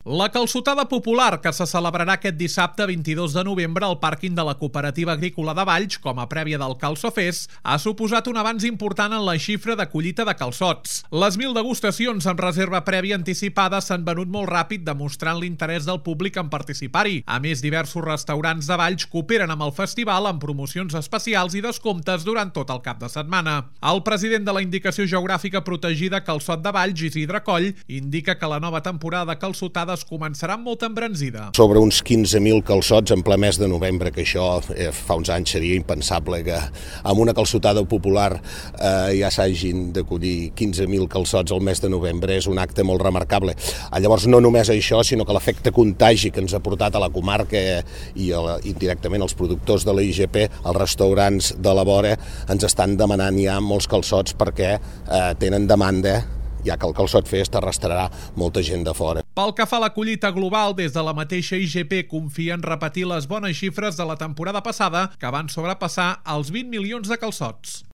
La calçotada popular, que se celebrarà aquest dissabte 22 de novembre al pàrquing de la Cooperativa Agrícola de Valls, com a prèvia del Calçofest, ha suposat un avanç important en la xifra de collita de calçots. Les 1.000 degustacions amb reserva prèvia anticipada s'han venut molt ràpid, demostrant l'interès del públic en participar-hi. A més, diversos restaurants de Valls cooperen amb el festival amb promocions especials i descomptes durant tot el cap de setmana. El president de la Indicació Geogràfica Protegida Calçot de Valls, Isidre Coll, indica que la nova temporada de calçotada començarà amb molta embranzida. Sobre uns 15.000 calçots en ple mes de novembre, que això fa uns anys seria impensable que amb una calçotada popular ja s'hagin d'acollir 15.000 calçots al mes de novembre, és un acte molt remarcable. Llavors no només això, sinó que l'efecte contagi que ens ha portat a la comarca i indirectament als productors de la IGP, als restaurants de la vora, ens estan demanant ja molts calçots perquè tenen demanda, ja que el Calçot Fest arrastrarà molta gent de fora. Pel que fa a la collita global, des de la mateixa IGP confia en repetir les bones xifres de la temporada passada, que van sobrepassar els 20 milions de calçots.